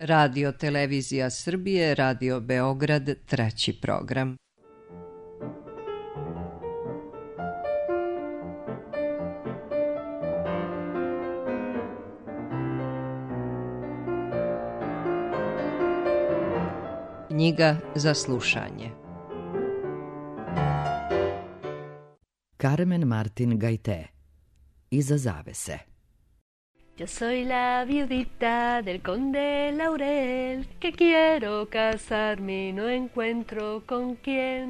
Radio Televizija Srbije, Radio Beograd, 3. program. Knjiga za slušanje. Carmen Martin Gaité. Iza zavese. Yo soy la viudita del conde Laurel, que quiero casarme y no encuentro con quién.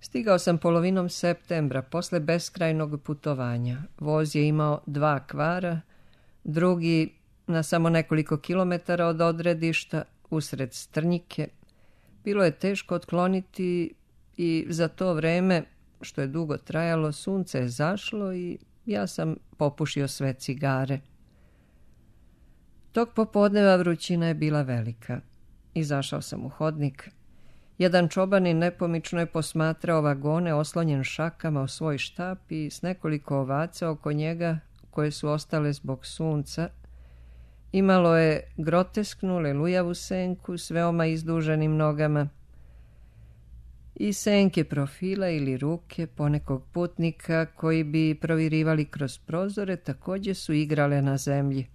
Stigao sam polovinom septembra, posle beskrajnog putovanja. Voz je imao 2 kvara, drugi na samo nekoliko kilometara od odredišta, usred strnjike. Bilo je teško otkloniti i za to vreme, što je dugo trajalo, sunce je zašlo i ja sam popušio sve cigare. Tog popodneva vrućina je bila velika. Izašao sam u hodnik. Jedan čobanin nepomično je posmatrao vagone oslonjen šakama o svoj štap i s nekoliko ovaca oko njega koje su ostale zbog sunca. Imalo je grotesknu lelujavu senku s veoma izduženim nogama i senke profila ili ruke ponekog putnika koji bi provirivali kroz prozore također su igrale na zemlji.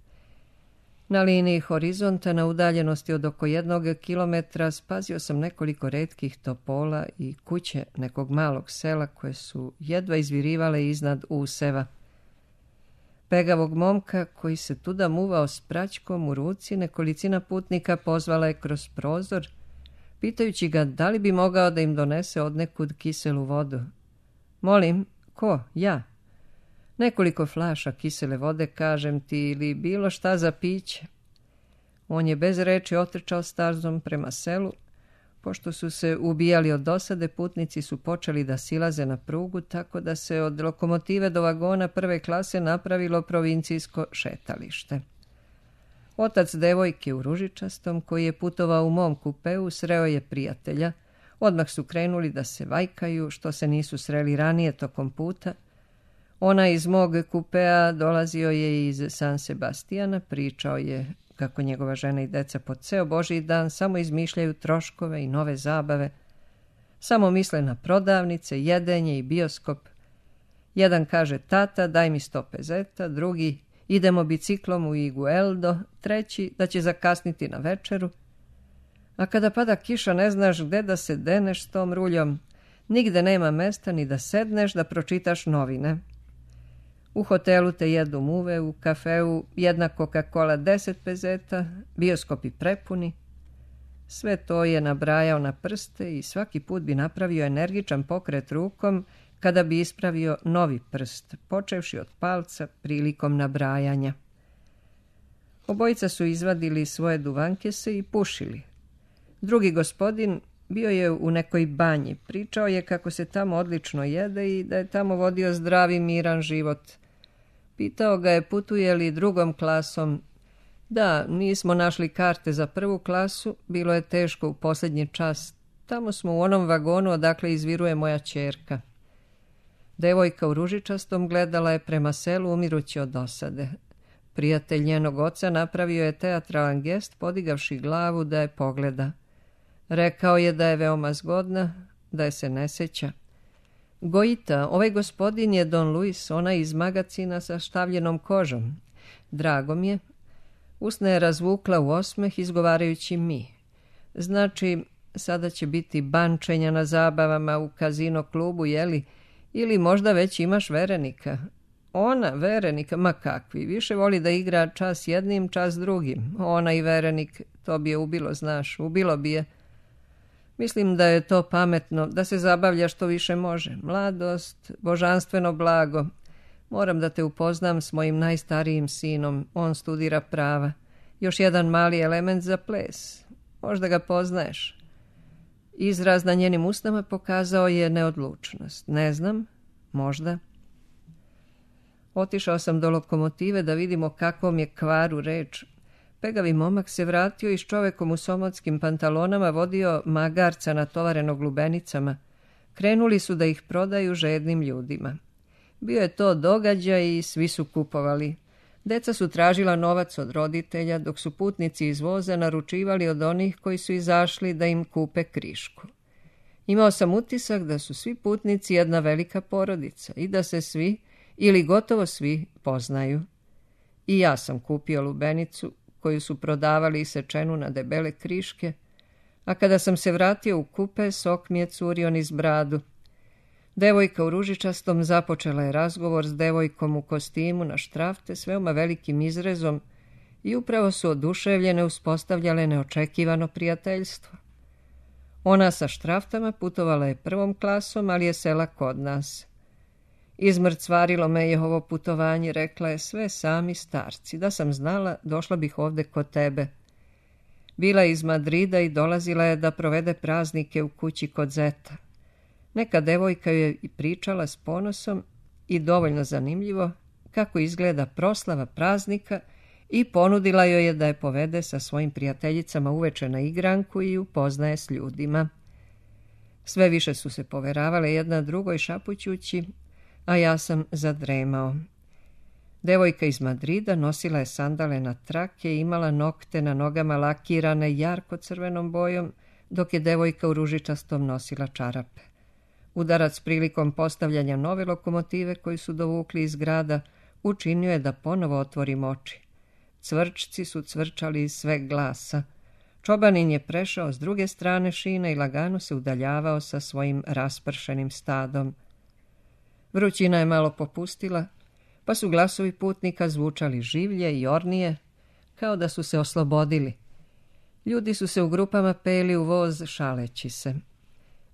Na liniji horizonta, na udaljenosti od oko 1 kilometra, spazio sam nekoliko retkih topola i kuće nekog malog sela koje su jedva izvirivale iznad useva. Pegavog momka koji se tuda muvao s praćkom u ruci, nekolicina putnika pozvala je kroz prozor, pitajući ga da li bi mogao da im donese odnekud kiselu vodu. Molim, ko? Ja. Nekoliko flaša kisele vode, kažem ti, ili bilo šta za piće. On je bez reči otrčao stazom prema selu. Pošto su se ubijali od dosade, putnici su počeli da silaze na prugu, tako da se od lokomotive do vagona 1. klase napravilo provincijsko šetalište. Otac devojke u ružičastom, koji je putovao u mom kupeu, sreo je prijatelja. Odmah su krenuli da se vajkaju, što se nisu sreli ranije tokom puta. Ona iz mog kupea dolazio je iz San Sebastijana, pričao je kako njegova žena i deca po ceo Božji dan samo izmišljaju troškove i nove zabave. Samo misle na prodavnice, jedenje i bioskop. Jedan kaže: tata, daj mi 100 pezeta, drugi: idemo biciklom u Igueldo, treći da će zakasniti na večeru. A kada pada kiša ne znaš gde da se deneš s tom ruljom. Nigde nema mesta ni da sedneš da pročitaš novine. U hotelu te jedu muve, u kafeu jedna Coca-Cola 10 pezeta, bioskopi prepuni. Sve to je nabrajao na prste i svaki put bi napravio energičan pokret rukom kada bi ispravio novi prst, počevši od palca prilikom nabrajanja. Obojica su izvadili svoje duvankese i pušili. Drugi gospodin bio je u nekoj banji, pričao je kako se tamo odlično jede i da je tamo vodio zdravi miran život. Pitao ga je putuje li 2. klasom. Da, nismo našli karte za 1. klasu, bilo je teško u posljednji čas. Tamo smo u onom vagonu odakle izviruje moja ćerka. Devojka u ružičastom gledala je prema selu umirući od dosade. Prijatelj njenog oca napravio je teatralan gest, podigavši glavu da je pogleda. Rekao je da je veoma zgodna, da je se ne sjeća. Gojita, ovaj gospodin je Don Luis, ona iz magacina sa štavljenom kožom. Drago mi je. Usne je razvukla u osmeh izgovarajući mi. Znači, sada će biti bančenja na zabavama u kazino klubu, jeli? Ili možda već imaš verenika. Ona, verenika, ma kakvi, više voli da igra čas jednim, čas drugim. Ona i verenik, to bi je ubilo, znaš, ubilo bi je. Mislim da je to pametno, da se zabavlja što više može. Mladost, božanstveno blago. Moram da te upoznam s mojim najstarijim sinom, on studira prava. Još jedan mali element za ples. Možda ga poznaješ. Izraz na njenim usnama pokazao je neodlučnost. Ne znam, možda. Otišao sam do lokomotive da vidimo kakvom je kvaru reč. Pegavi momak se vratio i s čovekom u somotskim pantalonama vodio magarca natovarenog lubenicama. Krenuli su da ih prodaju žednim ljudima. Bio je to događaj i svi su kupovali. Deca su tražila novac od roditelja, dok su putnici iz voza naručivali od onih koji su izašli da im kupe krišku. Imao sam utisak da su svi putnici jedna velika porodica i da se svi, ili gotovo svi, poznaju. I ja sam kupio lubenicu, koju su prodavali isečenu na debele kriške, a kada sam se vratio u kupe, sok mi je curio niz bradu. Devojka u ružičastom započela je razgovor s devojkom u kostimu na štrafte s veoma velikim izrezom i upravo su oduševljene uspostavljale neočekivano prijateljstvo. Ona sa štraftama putovala je prvom klasom, ali je sela kod nas. Izmrcvarilo me je ovo putovanje, rekla je, sve sami starci. Da sam znala, došla bih ovde kod tebe. Bila je iz Madrida i dolazila je da provede praznike u kući kod zeta. Neka devojka joj je pričala s ponosom i dovoljno zanimljivo kako izgleda proslava praznika i ponudila joj je da je povede sa svojim prijateljicama uveče na igranku i upoznaje s ljudima. Sve više su se poveravale jedna drugoj šapućući, a ja sam zadremao. Devojka iz Madrida nosila je sandale na trake i imala nokte na nogama lakirane jarko crvenom bojom, dok je devojka u ružičastom nosila čarape. Udarac prilikom postavljanja nove lokomotive koju su dovukli iz grada učinio je da ponovo otvorim oči. Cvrčci su cvrčali iz sveg glasa. Čobanin je prešao s druge strane šine i lagano se udaljavao sa svojim raspršenim stadom. Vrućina je malo popustila, pa su glasovi putnika zvučali življe i ornije, kao da su se oslobodili. Ljudi su se u grupama peli u voz šaleći se.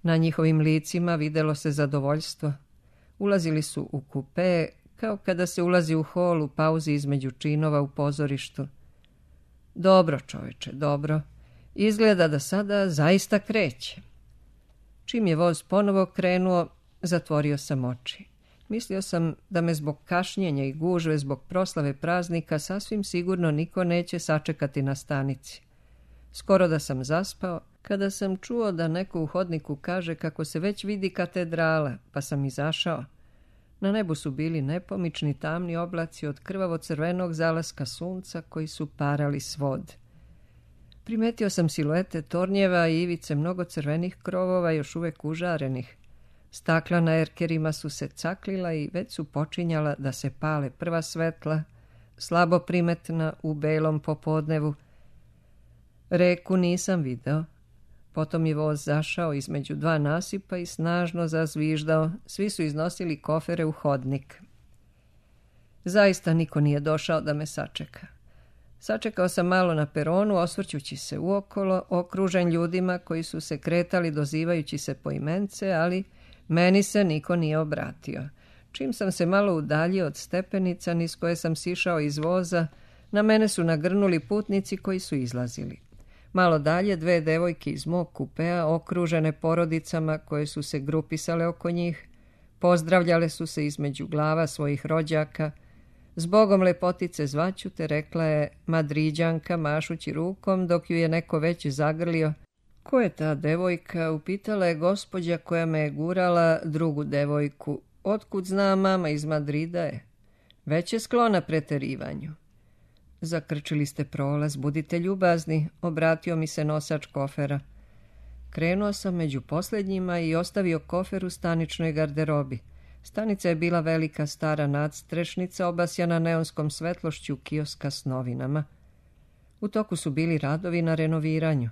Na njihovim licima videlo se zadovoljstvo. Ulazili su u kupe, kao kada se ulazi u hol u pauzi između činova u pozorištu. Dobro, čoveče, dobro. Izgleda da sada zaista kreće. Čim je voz ponovo krenuo, zatvorio sam oči. Mislio sam da me zbog kašnjenja i gužve zbog proslave praznika sasvim sigurno niko neće sačekati na stanici. Skoro da sam zaspao, kada sam čuo da neko u hodniku kaže kako se već vidi katedrala, pa sam izašao. Na nebu su bili nepomični tamni oblaci od krvavo-crvenog zalaska sunca koji su parali svod. Primetio sam siluete tornjeva i ivice mnogo crvenih krovova još uvek užarenih. Stakla na erkerima su se caklila i već su počinjala da se pale prva svetla, slabo primetna u belom popodnevu. Reku nisam video. Potom je voz zašao između dva nasipa i snažno zazviždao. Svi su iznosili kofere u hodnik. Zaista niko nije došao da me sačeka. Sačekao sam malo na peronu, osvrćući se uokolo, okružen ljudima koji su se kretali dozivajući se poimence, ali meni se niko nije obratio. Čim sam se malo udaljio od stepenica niz koje sam sišao iz voza, na mene su nagrnuli putnici koji su izlazili. Malo dalje dve devojke iz mog kupea, okružene porodicama koje su se grupisale oko njih, pozdravljale su se između glava svojih rođaka. Zbogom lepotice zvaću te, rekla je Madriđanka mašući rukom dok ju je neko već zagrlio. Ko je ta devojka? Upitala je gospođa koja me je gurala drugu devojku. Otkud zna, mama iz Madrida je. Već je sklona preterivanju. Zakrčili ste prolaz, budite ljubazni, obratio mi se nosač kofera. Krenuo sam među posljednjima i ostavio kofer u staničnoj garderobi. Stanica je bila velika stara nadstrešnica obasjana neonskom svetlošću kioska s novinama. U toku su bili radovi na renoviranju.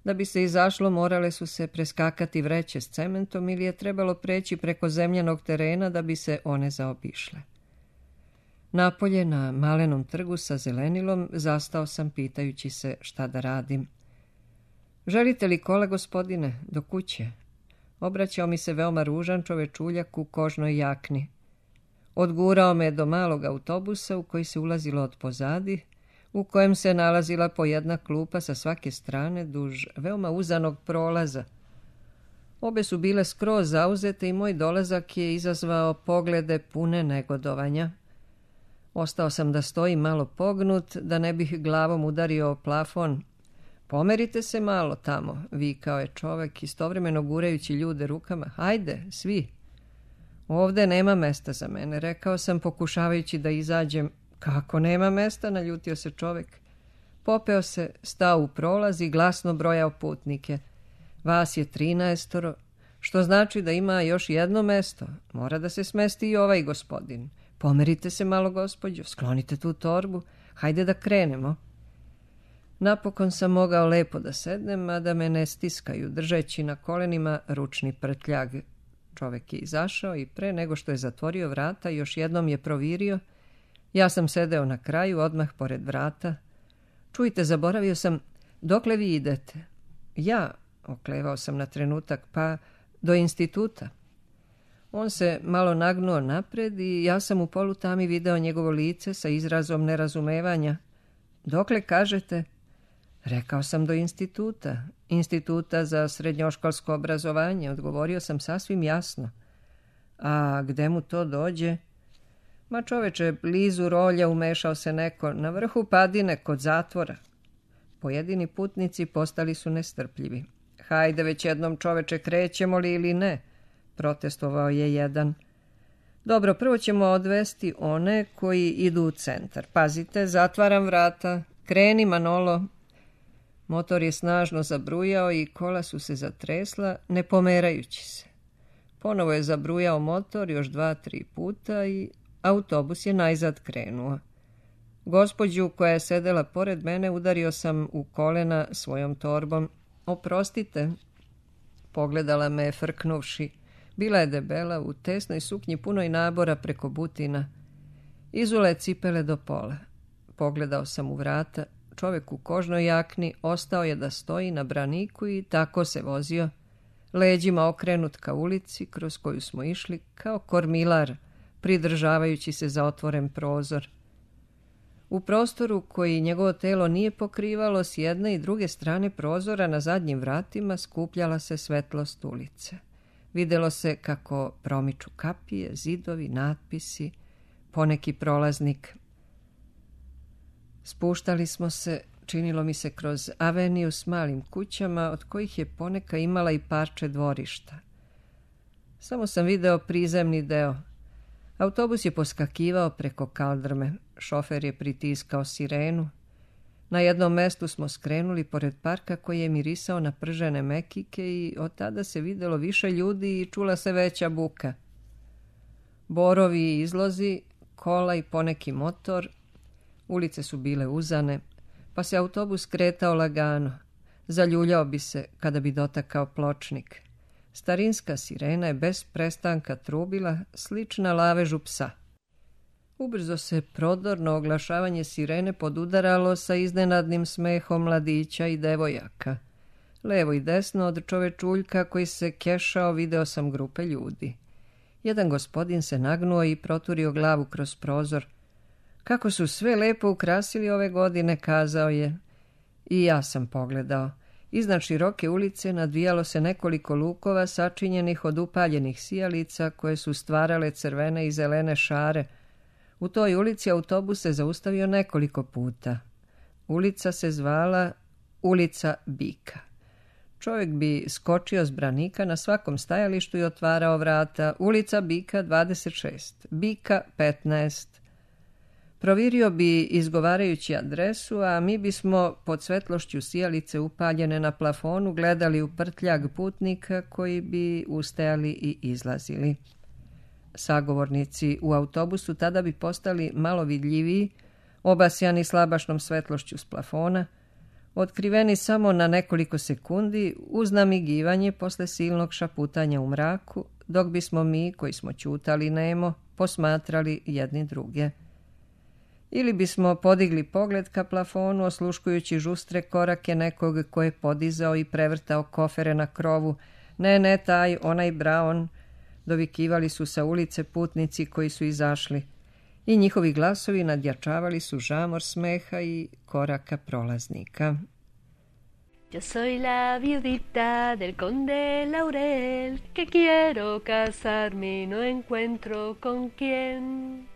Da bi se izašlo, morale su se preskakati vreće s cementom ili je trebalo preći preko zemljanog terena da bi se one zaobišle. Napolje, na malenom trgu sa zelenilom, zastao sam pitajući se šta da radim. Želite li kola, gospodine, do kuće? Obraćao mi se veoma ružan čovečuljak u kožnoj jakni. Odgurao me do malog autobusa u koji se ulazilo od pozadi, u kojem se nalazila po jedna klupa sa svake strane duž veoma uzanog prolaza. Obe su bile skroz zauzete i moj dolazak je izazvao poglede pune negodovanja. Ostao sam da stojim malo pognut, da ne bih glavom udario o plafon. Pomerite se malo tamo, vikao je čovek, istovremeno gurajući ljude rukama. Hajde, svi. Ovde nema mesta za mene, rekao sam pokušavajući da izađem Kako nema mesta, naljutio se čovek. Popeo se, stao u prolaz i glasno brojao putnike. Vas je 13, što znači da ima još jedno mesto. Mora da se smesti i ovaj gospodin. Pomerite se malo, gospođo, sklonite tu torbu. Hajde da krenemo. Napokon sam mogao lepo da sednem, a da me ne stiskaju, držeći na kolenima ručni prtljag. Čovek je izašao i pre nego što je zatvorio vrata, još jednom je provirio. Ja sam sedeo na kraju, odmah pored vrata. Čujte, zaboravio sam, dokle vi idete? Ja, oklevao sam na trenutak, pa do instituta. On se malo nagnuo napred i ja sam u polutami video njegovo lice sa izrazom nerazumevanja. Dokle kažete? Rekao sam do instituta. Instituta za srednjoškolsko obrazovanje, odgovorio sam sasvim jasno. A gde mu to dođe? Ma čoveče, blizu rolja umešao se neko, na vrhu padine kod zatvora. Pojedini putnici postali su nestrpljivi. Hajde već jednom, čoveče, krećemo li ili ne? Protestovao je jedan. Dobro, prvo ćemo odvesti one koji idu u centar. Pazite, zatvaram vrata. Kreni, Manolo. Motor je snažno zabrujao i kola su se zatresla, ne pomerajući se. Ponovo je zabrujao motor još 2-3 puta i autobus je najzad krenuo. Gospođu koja je sedela pored mene udario sam u kolena svojom torbom. Oprostite, pogledala me je frknuvši. Bila je debela, u tesnoj suknji punoj nabora preko butina. Izule cipele do pola. Pogledao sam u vrata. Čovek u kožnoj jakni ostao je da stoji na braniku i tako se vozio, leđima okrenut ka ulici kroz koju smo išli kao kormilar, pridržavajući se za otvoren prozor. U prostoru koji njegovo telo nije pokrivalo, s jedne i druge strane prozora na zadnjim vratima skupljala se svetlost ulice. Videlo se kako promiču kapije, zidovi, natpisi, poneki prolaznik. Spuštali smo se, činilo mi se, kroz aveniju s malim kućama, od kojih je poneka imala i parče dvorišta. Samo sam video prizemni deo. Autobus je poskakivao preko kaldrme, šofer je pritiskao sirenu. Na jednom mestu smo skrenuli pored parka koji je mirisao na pržene mekike i od tada se videlo više ljudi i čula se veća buka. Borovi i izlozi, kola i poneki motor. Ulice su bile uzane, pa se autobus kretao lagano. Zaljuljao bi se kada bi dotakao pločnik. Starinska sirena je bez prestanka trubila, slična lavežu psa. Ubrzo se prodorno oglašavanje sirene podudaralo sa iznenadnim smehom mladića i devojaka. Levo i desno od čovečuljka koji se kešao video sam grupe ljudi. Jedan gospodin se nagnuo i proturio glavu kroz prozor. Kako su sve lepo ukrasili ove godine, kazao je. I ja sam pogledao. Iznad široke ulice nadvijalo se nekoliko lukova sačinjenih od upaljenih sijalica koje su stvarale crvene i zelene šare. U toj ulici autobus se zaustavio nekoliko puta. Ulica se zvala Ulica Bika. Čovjek bi skočio s branika na svakom stajalištu i otvarao vrata. Ulica Bika 26, Bika 15. Provirio bi izgovarajući adresu, a mi bismo pod svetlošću sijalice upaljene na plafonu gledali u prtljag putnika koji bi ustajali i izlazili. Sagovornici u autobusu tada bi postali malo vidljiviji, obasjani slabašnom svetlošću s plafona, otkriveni samo na nekoliko sekundi uz namigivanje posle silnog šaputanja u mraku, dok bismo mi, koji smo ćutali nemo, posmatrali jedni druge. Ili bismo podigli pogled ka plafonu, osluškujući žustre korake nekog ko je podizao i prevrtao kofere na krovu. Ne, taj, onaj Brown, dovikivali su sa ulice putnici koji su izašli. I njihovi glasovi nadjačavali su žamor smeha i koraka prolaznika. Yo soy la viudita del conde Laurel, que quiero casarme y no encuentro con quién.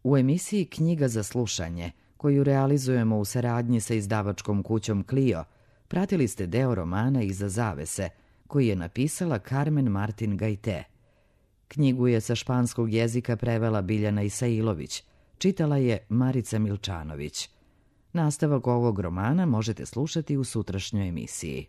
U emisiji Knjiga za slušanje, koju realizujemo u saradnji sa izdavačkom kućom Clio, pratili ste deo romana Iza zavese, koji je napisala Carmen Martin Gajte. Knjigu je sa španskog jezika prevela Biljana Isailović, Čitala je Marica Milčanović. Nastavak ovog romana možete slušati u sutrašnjoj emisiji.